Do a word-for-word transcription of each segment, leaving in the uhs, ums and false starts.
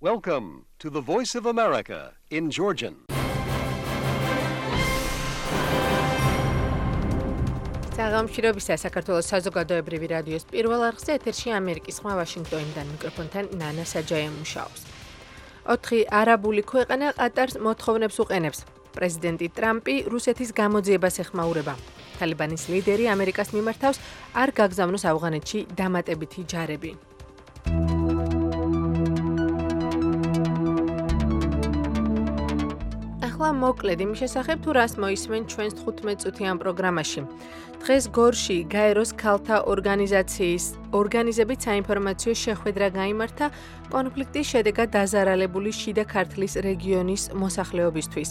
Welcome to the Voice of America in Georgian. საღამოშრობისა საქართველოს საზოგადოებრივი რადიოს პირველ არხზე ეთერში ამერიკის ხმა ვაშინგტონიდან მიკროფონთან ნანა საჯაია მუშაობს. ოთხი არაბული ქვეყანა ყატარს მოთხოვნებს უყენებს. პრეზიდენტი ტრამპი რუსეთის გამოძიებას ეხმაურება. თალიბანის ლიდერი ამერიკას მიმართავს არ გაგზავნოს ავღანეთში დამატებითი ჯარები. ახლა მოკლედ იმის შესახებ თუ რას მოისმენ ჩვენს თხუთმეტ წუთიან პროგრამაში. დღეს გორში გაეროს ქალთა ორგანიზაციის ორგანიზებით საინფორმაციო შეხვედრა გაიმართა კონფლიქტის შედეგად დაზარალებული შიდა ქართლის რეგიონის მოსახლეობისთვის.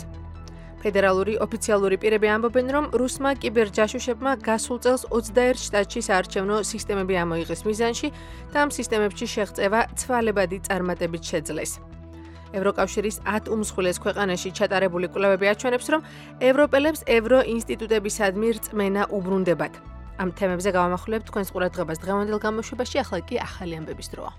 ფედერალური ოფიციალური პირები ამბობენ, რომ რუსმა კიბერჯაშუშებმა გასულ წელს ოცდაერთ შტატში საარჩევნო სისტემები ამოიღეს მიზანში და ამ სისტემებში შეღწევა ცვალებადი წარმატებით შეძლეს. ევროკავშირის ათ უმსხვილეს ქვეყანაში ჩატარებული კვლევები აჩვენებს, რომ ევროპელებს ევრო ინსტიტუტებისადმი რწმენა უბრუნდებათ. ამ თემებზე გავამახვილებთ თქვენს ყურადღებას დღევანდელ გამოშვებაში, ახლა კი ახალი ამბების დროა.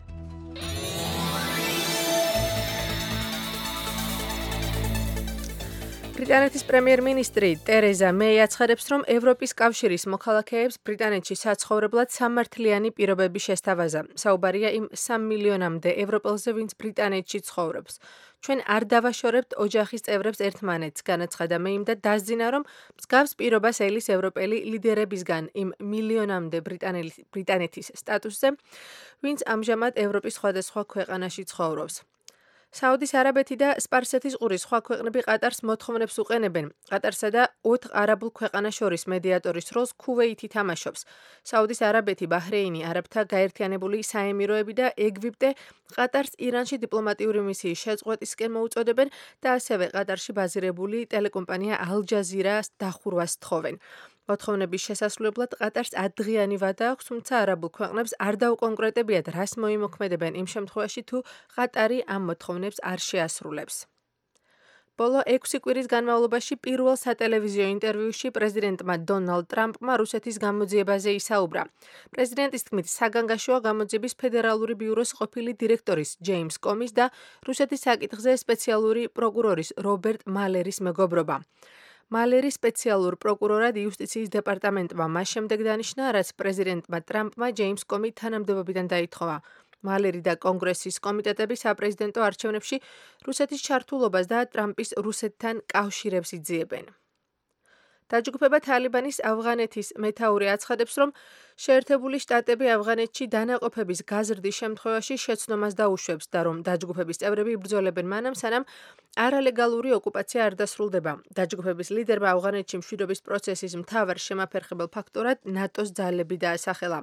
ბრიტანეთის პრემიერ-მინისტრი ტერეზა მეი აცხადებს, რომ ევროპის კავშირის მოქალაქეებს ბრიტანეთში საცხოვრებლად სამართლიანი პირობები შესთავაზა. საუბარია იმ სამ მილიონამდე ევროპელზე, ვინც ბრიტანეთში ცხოვრობს. ჩვენ არ დავაშორებთ ოჯახის წევრებს ერთმანეთს, განაცხადა მეიმ და დასძინა, რომ მსგავს პირობას ელის ევროპელი ლიდერებისგან იმ მილიონამდე ბრიტანეთის სტატუსზე, ვინც ამჟამად ევროპის სხვადასხვა ქვეყანაში ცხოვრობს. საუდის არაბეთი და სპარსეთის ყურის სხვა ქვეყნები ყატარს მოთხოვნებს უყენებენ. ყატარსა და ოთხ არაბულ ქვეყანას შორის მედიატორის როლს ქუვეითი თამაშობს. საუდის არაბეთი, ბაჰრეინი, არაბთა გაერთიანებული საემიროები და ეგვიპტე ყატარს ირანში დიპლომატიური მისიის შეწყვეტისკენ მოუწოდებენ და ასევე ყატარში ბაზირებული ტელეკომპანია ალ-ჯაზირას დახურვას თხოვენ. მოთხოვნების შესასრულებლად ყატარს ათდღიანი ვადა აქვს, თუმცა არაბულ ქვეყნებს არ დაუკონკრეტებიათ, რას მოიმოქმედებენ იმ შემთხვევაში, თუ ყატარი ამ მოთხოვნებს არ შეასრულებს. ბოლო ექვსი კვირის განმავლობაში პირველ სატელევიზიო ინტერვიუში პრეზიდენტმა დონალდ ტრამპმა რუსეთის გამოძიებაზე ისაუბრა. პრეზიდენტის თქმით, საგანგაშოა გამოძიების ფედერალური ბიუროს ყოფილი დირექტორის ჯეიმს კომის და რუსეთის საკითხზე სპეციალური პროკურორის რობერტ მალერის მეგობრობა. მალერი სპეციალურ პროკურორად იუსტიციის დეპარტამენტმა მას შემდეგ დანიშნა, რაც პრეზიდენტმა ტრამპმა ჯეიმს კომი თანამდებობიდან დაითხოვა. მალერი და კონგრესის კომიტეტები საპრეზიდენტო არჩევნებში რუსეთის ჩართულობას და ტრამპის რუსეთთან კავშირებს იძიებენ. დაჯგუფება თალიბანის ავღანეთის მეთაური აცხადებს, რომ შეერთებული შტატები ავღანეთში დანაყოფების გაზრდის შემთხვევაში შეცდომას დაუშვებს და რომ დაჯგუფების წევრები იბრძოლებენ მანამ, სანამ არალეგალური ოკუპაცია არ დასრულდება. დაჯგუფების ლიდერმა ავღანეთში მშვიდობის პროცესის მთავარ შემაფერხებელ ფაქტორად ნატოს ძალები დაასახელა.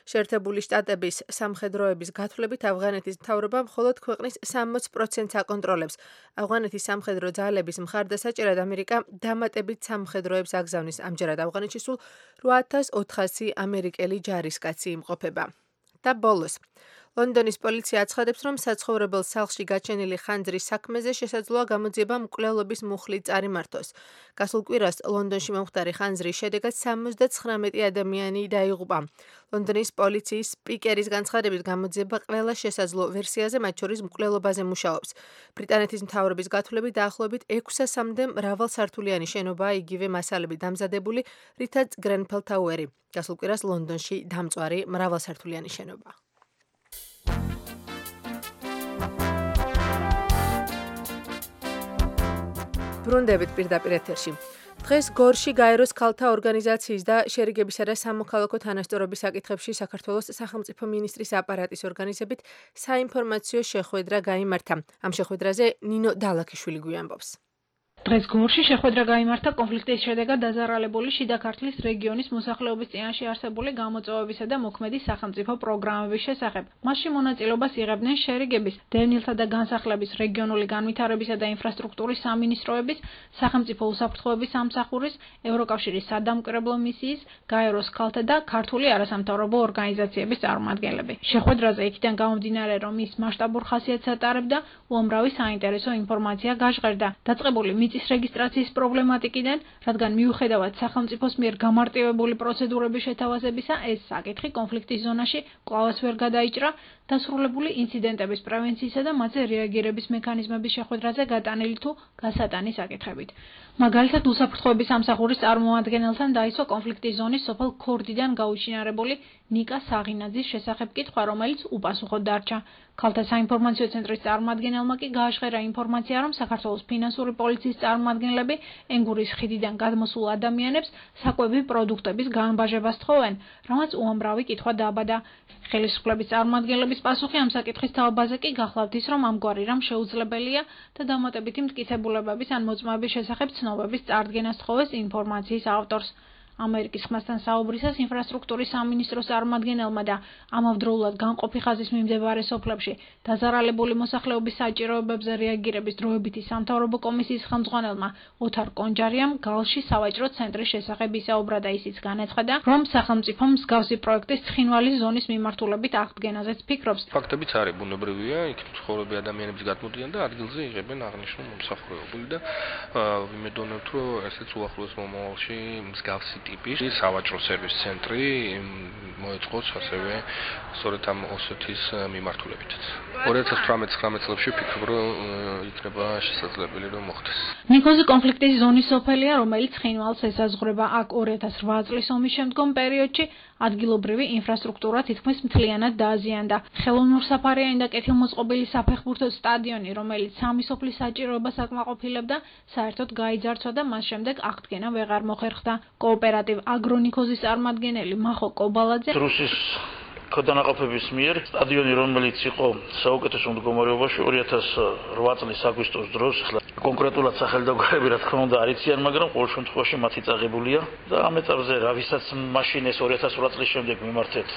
შეერთებული შტატების სამხედროების გათვლებით ავღანეთის მთავრობა მხოლოდ ქვეყნის სამოც პროცენტს აკონტროლებს. ავღანეთის სამხედრო ძალების მხარდასაჭერად ამერიკა დამატებით სამხედროებს აგზავნის. ამჯერად ავღანეთში სულ რვა ათას ოთხასი ამერიკელი ჯარისკაცი იმყოფება. და ბოლოს. ლონდონის პოლიცია აცხადებს, რომ საცხოვრებელ სახლში გაჩენილი ხანძრის საქმეზე შესაძლოა გამოძიება მკვლელობის მუხლით წარიმართოს. გასულ კვირას ლონდონში მომხდარი ხანძრის შედეგად სამოცდათხრამეტი ადამიანი დაიღუპა. ლონდონის პოლიციის სპიკერის განცხადებით გამოძიება ყველა შესაძლო ვერსიაზე, მათ შორის მკვლელობაზე მუშაობს. ბრიტანეთის მთავრობის გათვლებით დაახლოებით ექვსასამდე მრავალსართულიანი შენობაა იგივე მასალებით დამზადებული, რითაც გრენფელ ტაუერი. გასულ კვირას ლონდონში დამწვარი მრავალსართულიანი შენობა. ბრუნდებით პირდაპირ ეთერში. დღეს გორში გაეროს ქალთა ორგანიზაციის და შერიგებისა და სამოქალაქო თანასწორობის საკითხებში საქართველოს სახელმწიფო მინისტრის აპარატის ორგანიზებით საინფორმაციო შეხვედრა გაიმართა. ამ შეხვედრაზე ნინო დალაქიშვილი გვიამბობს. დღეს გორში შეხვედრა გაიმართა კონფლიქტის შედეგად დაზარალებული შიდა ქართლის რეგიონის მოსახლეობის წინაშე არსებული გამოწვევებისა და მოქმედი სახელმწიფო პროგრამების შესახებ. მასში მონაწილეობას იღებდნენ შერიგების, დევნილთა და განსახლების, რეგიონული განვითარებისა და ინფრასტრუქტურის სამინისტროების, სახელმწიფო უსაფრთხოების სამსახურის, ევროკავშირის სადამკვირვებლო მისიის, გაეროს ქალთა და ქართული არასამთავრობო ორგანიზაციების წარმომადგენლები. შეხვედრაზე იქიდან გამომდინარე, რომ ის მასშტაბურ ხასიათს ატარებდა, უამრავი საინტერესო ინფორმაცია გაჟღერდა. დაწყებული მიწის რეგისტრაციის პრობლემატიკიდან, რადგან მიუხედავად სახელმწიფოს მიერ გამარტივებული პროცედურების შეთავაზებისა, ეს საკითხი კონფლიქტის ზონაში კვლავაც ვერ გადაიჭრა. დასრულებული ინციდენტების პრევენციისა და მათზე რეაგირების მექანიზმების შეხვედრაზე გატანილი თუ გასატანის საკითხებით. მაგალითად, უსაფრთხოების სამსახურის წარმომადგენელთან დაისვა კონფლიქტის ზონის სოფელ ქორდიდან გაუჩინარებული ნიკა საღინაძის შესახებ კითხვა, რომელიც უპასუხოდ დარჩა. ქალთა საინფორმაციო ცენტრის წარმომადგენელმა კი გააშხერა ინფორმაცია, რომ საქართველოს ფინანსური პოლიციის წარმომადგენლები ენგურის ხიდიდან გადმოსულ ადამიანებს საკვები პროდუქტების გაამბაჟებას თხოვენ, რამაც უამრავი კითხვა დააბადა. ხელისუფლების წარმომადგენლების პასუხი ამ საკითხის თაობაზე კი გახლავთ ის, რომ ამგვარი რამ შეუძლებელია და დამატებითი მტკიცებულებების ან მოწმობის შესახებ ცნობების წარდგენას თხოვეს ინფორმაციის ავტორს. ამერიკის ხმასთან საუბრისას ინფრასტრუქტურის სამინისტროს წარმომადგენელმა და ამავდროულად განყოფი ხაზის მიმდებარე სოფლებში დაზარალებული მოსახლეობის საჭიროებებზე რეაგირების დროებითი სამთავრობო კომისიის ხელმძღვანელმა ოთარ კონჯარიამ გალში სავაჭრო ცენტრის შესახებ ისაუბრა და ისიც განაცხადა, რომ სახელმწიფომ მსგავსი პროექტის ცხინვალის ზონის მიმართულებით აღდგენაზეც ფიქრობს. ფაქტებიც არის ბუნებრივია, იქ ცხოვრობი ადამიანები გადმოდიან და ადგილზე იღებენ აღნიშნულ მომსახურებული და ვიმედოვნებთ, რომ ესეც უახლოეს მომავალში მსგავსი ტიპის სავაჭრო სერვის ცენტრი მოეწყოს ასევე სწორედ ამ ოსეთის მიმართულებითაც. ორი ათას თვრამეტ ცხრამეტ წლებში ვფიქრობ, რომ იქნება შესაძლებელი რომ მოხდეს. ნიქოზი კონფლიქტის ზონის სოფელია, რომელიც ცხინვალს ესაზღვრება. აქ ორი ათას რვა წლის ომის შემდგომ პერიოდში ადგილობრივი ინფრასტრუქტურა თითქმის მთლიანად დააზიანდა. ხელოვნურსაფარიანი და კეთილმოწყობილი საფეხბურთო სტადიონი, რომელიც სამი სოფლის საჭიროებას აკმაყოფილებდა, საერთოდ გაიძარცვა და მას შემდეგ აღდგენა ვეღარ მოხერხდა. კოოპერატივ აგრონიქოზის წარმომადგენელი მახო კობალაძე რუსის ქოდანაყოფების მიერ სტადიონი, რომელიც იყო საუკეთესო მდგომარეობაში ორი ათას რვა წლის აგვისტოს დროს, ახლა კონკრეტულად სახელდაგვარები რა თქმა უნდა არ იციან, მაგრამ ყოველ შემთხვევაში მათი წაღებულია და ამ ეტაპზე რა ვისაც მაშინ ეს ორი ათას რვა წლის შემდეგ მიმართეთ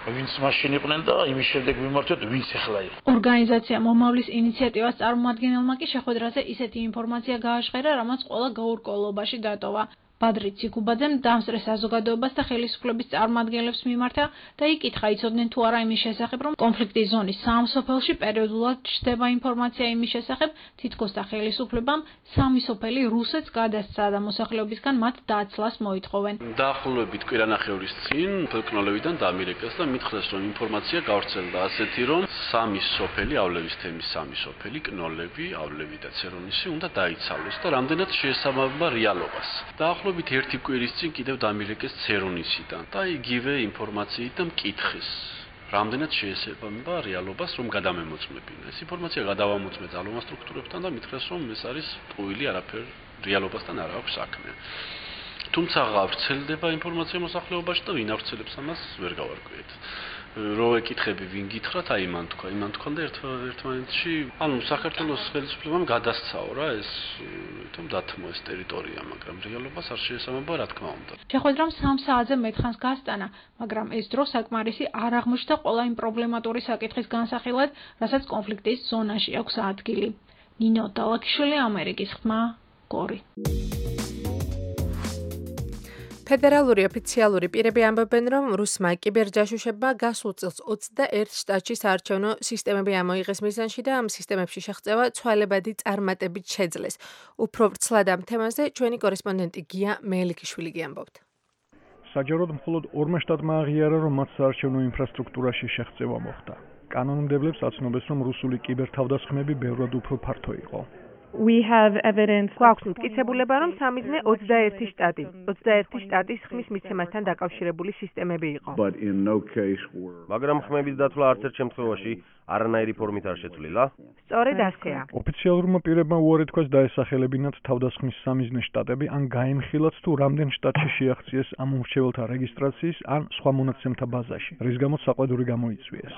ვინც მაშინ იყვნენ და იმის შემდეგ მიმართეთ ვინც ახლა იყო. ორგანიზაცია მომავლის ინიციატივას წარმომადგენელმა კი შეხვედრაზე ისეთი ინფორმაცია გააშხერა, რამაც ყველა გაურკვევლობაში დატოვა. ბადრი ციკუბაძემ დამსწრე საზოგადოებას და ხელისუფლების წარმომადგენლებს მიმართა და იკითხა, იცოდნენ თუ არა იმის შესახებ, რომ კონფლიქტის ზონის სამ სოფელში პერიოდულად ჩნდება ინფორმაცია იმის შესახებ, თითქოს და ხელისუფლებამ სამი სოფელი რუსეთს გადასცა და მოსახლეობისგან მათ დაცლას მოითხოვენ. დაახლოებით კვირანახევრის წინ ფოლკლორიდან დამირეკეს და მითხრეს, რომ ინფორმაცია გავრცელდა ასეთი, რომ სამი სოფელი,ავლევის თემის სამი სოფელი, კნოლები,ავლევი და ცერონისი უნდა დაიცალოს და რამდენად შეესაბამება რეალობას. დაახლოებით ერთი კვირის წინ კიდევ დამირეკეს ცერონისიდან და იგივე ინფორმაციით და მკითხეს, რამდენად შეესაბამება რეალობას, რომ გადამემოწმებინა. ეს ინფორმაცია გადავამოწმე ძალოვან სტრუქტურებთან და მითხრეს, რომ ეს არის ტყუილი, არაფერ რეალობასთან არ აქვს საქმე. თუმცა გავრცელდება ინფორმაცია მოსახლეობაში და ვინ ავრცელებს ამას ვერ გავარკვიეთ. რო ეკითხები ვინ გითხრათ, აი მან თქვა, იმან თქვა და ერთმანეთში, ანუ საქართველოს ხელისუფლებამ გადასცაო რა ეს, თუმ დათმო ეს ტერიტორია, მაგრამ რეალობას არ შეესაბამება რა თქმა უნდა. შეხვედრამ სამ საათზე მეტხანს გასტანა, მაგრამ ეს დრო საკმარისი არ აღმოჩნდა ყველა იმ პრობლემატური საკითხის განსახილვად, რასაც კონფლიქტის ზონაში აქვს ადგილი. ნინო დალაკიშვილი, ამერიკის ხმა, გორი. ფედერალური ოფიციალური პირები ამბობენ, რომ რუსმა კიბერჯაშუშებმა გასულ წელს ოცდაერთ შტატში საარჩევნო სისტემები ამოიღეს მიზანში და ამ სისტემებში შეღწევა ცვალებადი წარმატებით შეძლეს. უფრო ვრცლად ამ თემაზე ჩვენი კორესპონდენტი გია მეელიქიშვილი გიამბობთ. საჯაროდ მხოლოდ ორმა შტატმა აღიარა, რომ მათ საარჩევნო ინფრასტრუქტურაში შეღწევა მოხდა. კანონმდებლებს აცნობეს, რომ რუსული კიბერთავდასხმები ბევრად უფრო ფართო იყო. We have evidence. გვაქვს მტკიცებულება, რომ სამიზნე ოცდაერთი შტატი, ოცდაერთი შტატის ხმის მიცემასთან დაკავშირებული სისტემები იყო. მაგრამ ხმების დათვლა არც ერთ შემთხვევაში არანაირი ფორმით არ შეცვლილა? სწორედ ასეა. ოფიციალურმა პირებმა უარი თქვას დაესახელებინათ თავდასხმის სამიზნე შტატები, ან გაემხილათ თუ რამდენ შტატში შეაღწიეს ამ უმრჩეველთა რეგისტრაციის ან სხვა მონაცემთა ბაზაში, რის გამოც საყვედური გამოიწვიეს.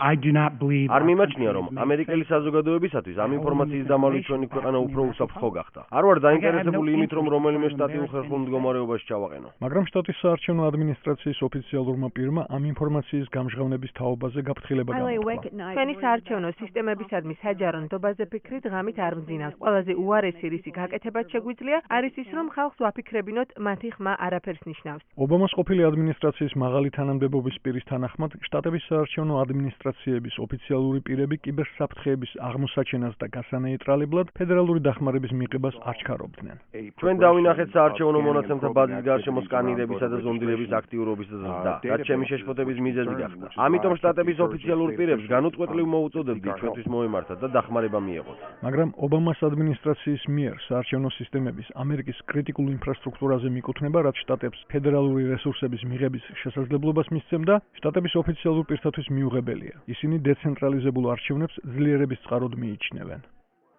არ მიმაჩნია, რომ ამერიკელი საზოგადოებისათვის ამ ინფორმაციის დამალვით ჩვენი ქვეყანა უფრო უსაფრთხო გახდა. არ ვარ დაინტერესებული იმით, რომ რომელიმე შტატი უხერხულ მდგომარეობაში ჩავაყენო. მაგრამ შტატის საარჩევნო ადმინისტრაციის ოფიციალურმა პირმა ამ ინფორმაციის გამჟღავნების თაობაზე გაფრთხილება გამოთქვა. ჩვენი საარჩევნო სისტემებისადმი საჯარო ნდობაზე ფიქრი დღამით არ მძინავს. ყველაზე უარესი რისი გაკეთებაც შეგვიძლია არის ის, რომ ხალხს ვაფიქრებინოთ, მათი ხმა არაფერს ნიშნავს. ობამას ყოფილი ადმინისტრაციის მაღალი თანამდებობის პირის თანახმად, შტატების საარჩევნო ადმინისტრაციების ოფიციალური პირები კიბერსაფრთხეების აღმოსაჩენას და გასანეიტრალებლად ფედერალური დახმარების მიღებას აჩქარობდნენ. ჩვენ დავინახეთ საარჩევნო მონაცემთა ბაზის გარშემო სკანირებისა და ზონდირების აქტიურობის ზრდა, რაც ჩემი შეშფოთების მიზეზი გახდა. ამიტომ შტატების ოფიციალურ პირებს განუწყვეტლივ მოუწოდებდი ჩვენთვის მოემართათ და დახმარება მიეღოთ. მაგრამ ობამას ადმინისტრაციის მიერ საარჩევნო სისტემების ამერიკის კრიტიკულ ინფრასტრუქტურაზე მიკუთვნება, რაც შტატებს ფედერალური რესურსების მიღების შესაძლებლობას მისცემდა, შტატების ოფიციალურ პირთათვის მიუღებელია. ისინი დეცენტრალიზებულ არჩევნებს ძლიერების წყაროდ მიიჩნევენ.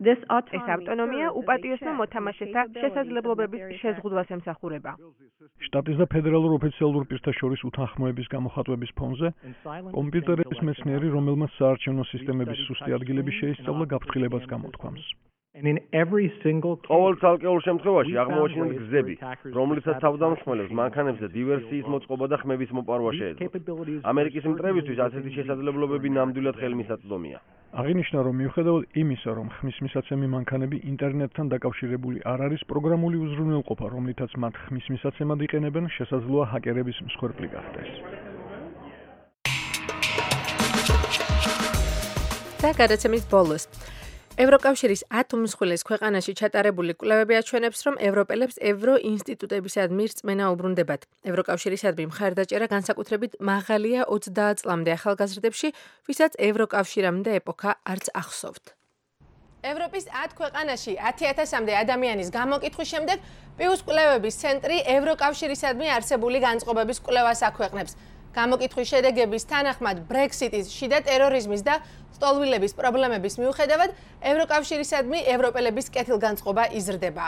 ეს ავტონომია უპატიოსო მოთამაშეთა შესაძლებლობების შეზღუდვას ემსახურება. შტატის და ფედერალურ ოფიციალურ პირთა შორის უთანხმოების გამოხატვების ფონზე, კომპიუტერების მეცნიერი, რომელმაც საარჩევნო სისტემების სუსტი ადგილები შეისწავლა, გაფრთხილებას გამოთქვამს. ყოველ ცალკეულ შემთხვევაში აღმოაჩინეთ გზები, რომლითაც თავდამსხმელებს მანქანებზე დივერსიის მოწყობა და ხმების მოპარვა შეეძლოთ. ამერიკის მტრებისთვის ასეთი შესაძლებლობები ნამდვილად ხელმისაწვდომია. აღინიშნა, რომ მიუხედავად იმისა, რომ ხმის მისაცემი მანქანები ინტერნეტთან დაკავშირებული არ არის, პროგრამული უზრუნველყოფა, რომლითაც მათ ხმის მისაცემად იყენებენ, შესაძლოა ჰაკერების მსხვერპლი გახდეს. და გადაცემის ბოლოს ევროკავშირის ათ უმსხვილეს ქვეყანაში ჩატარებული კვლევები აჩვენებს, რომ ევროპელებს ევრო ინსტიტუტებისადმი რწმენა უბრუნდებათ. ევროკავშირისადმი მხარდაჭერა განსაკუთრებით მაღალია ოცდაათ წლამდე ახალგაზრდებში, ვისაც ევროკავშირამდე ეპოქა არც ახსოვთ. ევროპის ათ ქვეყანაში ათი ათასამდე ადამიანის გამოკითხვის შემდეგ პიუს კვლევების ცენტრი ევროკავშირისადმი არსებული განწყობების კვლევას აქვეყნებს. გამოკითხვის შედეგების თანახმად ბრექსიტის, შიდა ტერორიზმის და სტოლვილების პრობლემების მიუხედავად ევროკავშირისადმი ევროპელების კეთილგანწყობა იზრდება.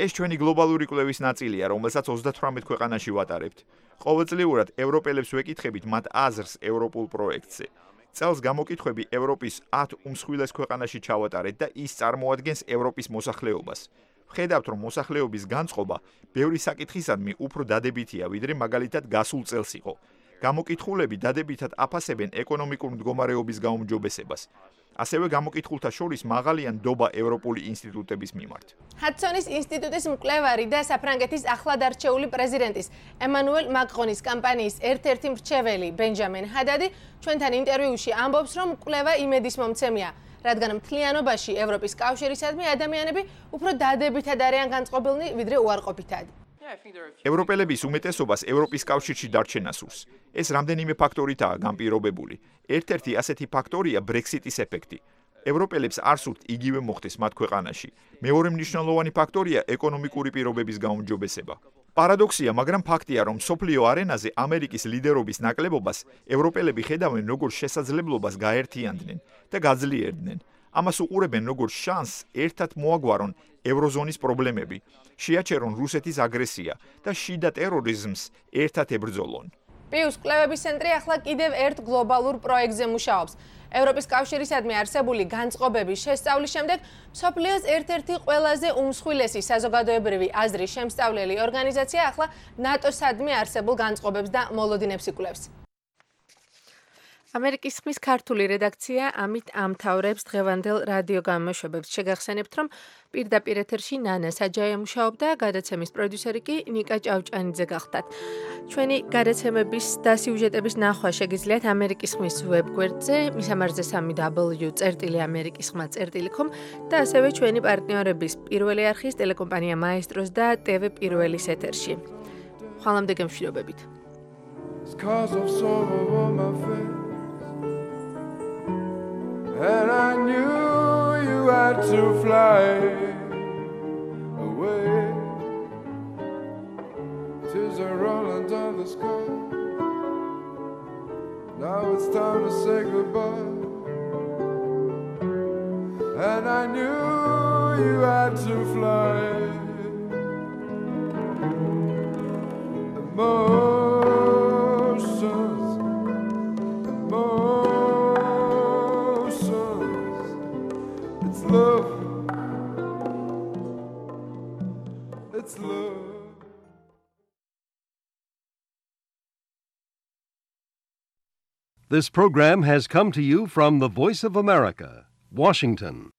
ეს ჩვენი გლობალური კვლევის ნაწილია, რომელსაც ოცდათვრამეტ ქვეყანაში ვატარებთ. ყოველწლიურად ევროპელებს ვეკითხებით მათ აზრს ევროპულ პროექტზე. წელს გამოკითხვები ევროპის ათ უმსხვილეს ქვეყანაში ჩავატარეთ და ის წარმოადგენს ევროპის მოსახლეობას. ვხედავთ, რომ მოსახლეობის განწყობა ბევრი საკითხისადმი უფრო დადებითია, ვიდრე მაგალითად გასულ წელს იყო. გამოკითხულები დადებითად აფასებენ ეკონომიკურ მდგომარეობის გაუმჯობესებას. ასევე გამოკითხულთა შორის მაღალია ნდობა ევროპული ინსტიტუტების მიმართ. ჰადსონის ინსტიტუტის მკვლევარი და საფრანგეთის ახლად არჩეული პრეზიდენტის ემანუელ მაკრონის კამპანიის ერთ-ერთი მრჩეველი ბენჯამინ ჰადადი ჩვენთან ინტერვიუში ამბობს, რომ კვლევა იმედისმომცემია, რადგან მთლიანობაში ევროპის კავშირისადმი ადამიანები უფრო დადებითად არიან განწყობილნი, ვიდრე უარყოფითად. ევროპელების უმეტესობას ევროპის კავშირში დარჩენა სურს. ეს რამდენიმე ფაქტორითაა განპირობებული. ერთ-ერთი ასეთი ფაქტორია ბრექსიტის ეფექტი. ევროპელებს არ სურთ იგივე მოხდეს მათ ქვეყანაში. მეორე მნიშვნელოვანი ფაქტორია ეკონომიკური პირობების გაუმჯობესება. პარადოქსია, მაგრამ ფაქტია, რომ მსოფლიო არენაზე ამერიკის ლიდერობის ნაკლებობას ევროპელები ხედავენ როგორც შესაძლებლობას გაერთიანდნენ და გაძლიერდნენ. ამას უყურებენ როგორც შანსს ერთად მოაგვარონ ევროზონის პრობლემები, შეაჩერონ რუსეთის აგრესია და შიდა ტერორიზმს ერთად ებრძოლონ. პიუს კვლევების ცენტრი ახლა კიდევ ერთ გლობალურ პროექტზე მუშაობს. ევროპის კავშირისადმი არსებული განწყობების შესწავლის შემდეგ მსოფლიოს ერთ-ერთი ყველაზე უმსხვილესი საზოგადოებრივი აზრის შემსწავლელი ორგანიზაცია ახლა ნატოსადმი არსებულ განწყობებს და მოლოდინებს იკვლევს. ამერიკის ხმის ქართული რედაქცია ამით ამთავრებს დღევანდელ რადიო გამოშვებებს. შეგახსენებთ, რომ პირდაპირ ეთერში ნანა საჯაია მუშაობდა, გადაცემის პროდიუსერი კი ნიკა ჭავჭანიძე გახდათ. ჩვენი გადაცემების და სიუჟეტების ნახვა შეგიძლიათ ამერიკის ხმის ვებგვერდზე, მისამართზე სამი დაბლიუ წერტილი ამერიკის ხმა წერტილი კომ და ასევე ჩვენი პარტნიორების პირველი არხის ტელეკომპანია მაესტროს და ტევ პირველის ეთერში. ხვალამდე გემშვიდობებით. And I knew you had to fly away. Tears are rolling down the sky. Now it's time to say goodbye. And I knew you had to fly. Emotions, emotions. It's love. It's love. This program has come to you from the Voice of America, Washington.